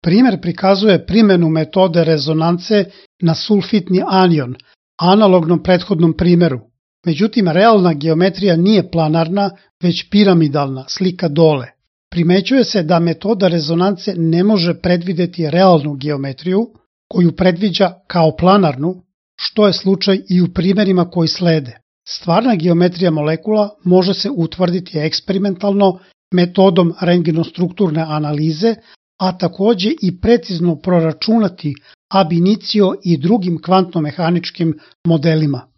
Primer prikazuje primenu metode rezonance na sulfitni anion, analognom prethodnom primeru. Međutim, realna geometrija nije planarna, već piramidalna, slika dole. Primećuje se da metoda rezonance ne može predvideti realnu geometriju, koju predviđa kao planarnu, što je slučaj i u primerima koji slede. Stvarna geometrija molekula može se utvrditi eksperimentalno metodom rentgenostrukturne analize, a takođe i precizno proračunati ab initio i drugim kvantno-mehaničkim modelima.